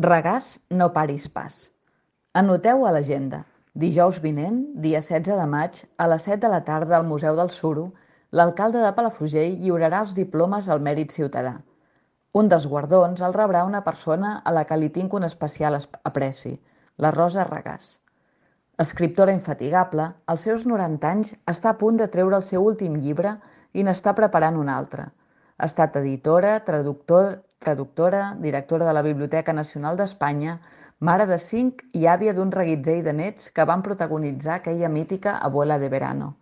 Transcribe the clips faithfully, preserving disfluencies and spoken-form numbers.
Regàs, no paris pas. Anoteu a l'agenda. Dijous vinent, dia setze de maig, a les set de la tarda al Museu del Suro, l'alcalde de Palafrugell lliurarà els diplomes al mèrit ciutadà. Un dels guardons el rebrà una persona a la que li tinc un especial apreci, la Rosa Regàs. Escriptora infatigable, als seus noranta anys està a punt de treure el seu últim llibre i n'està preparant un altre. Ha estat editora, traductor, traductora, directora de la Biblioteca Nacional d'Espanya, mare de cinc i àvia d'un reguitzell de nets que van protagonitzar aquella mítica Abuela de Verano.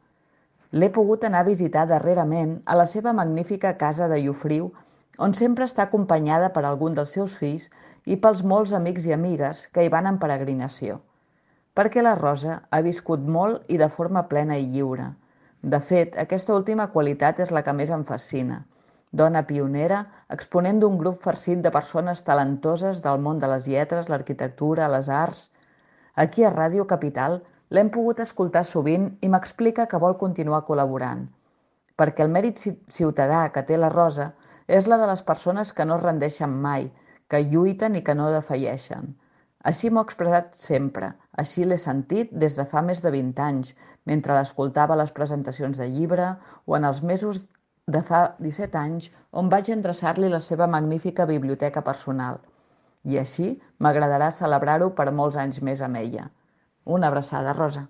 L'he pogut anar a visitar darrerament a la seva magnífica casa de Llofriu, on sempre està acompanyada per algun dels seus fills i pels molts amics i amigues que hi van en peregrinació. Perquè la Rosa ha viscut molt i de forma plena i lliure. De fet, aquesta última qualitat és la que més em fascina. Dona pionera, exponent d'un grup farcit de persones talentoses del món de les lletres, l'arquitectura, les arts. Aquí a Ràdio Capital l'hem pogut escoltar sovint i m'explica que vol continuar col·laborant. Perquè el mèrit ciutadà que té la Rosa és la de les persones que no es rendeixen mai, que lluiten i que no defalleixen. Així m'ho ha expressat sempre, així l'he sentit des de fa més de vint anys, mentre l'escoltava a les presentacions de llibre o en els mesos de fa disset anys on vaig endreçar-li la seva magnífica biblioteca personal. I així m'agradarà celebrar-ho per molts anys més amb ella. Una abraçada, Rosa.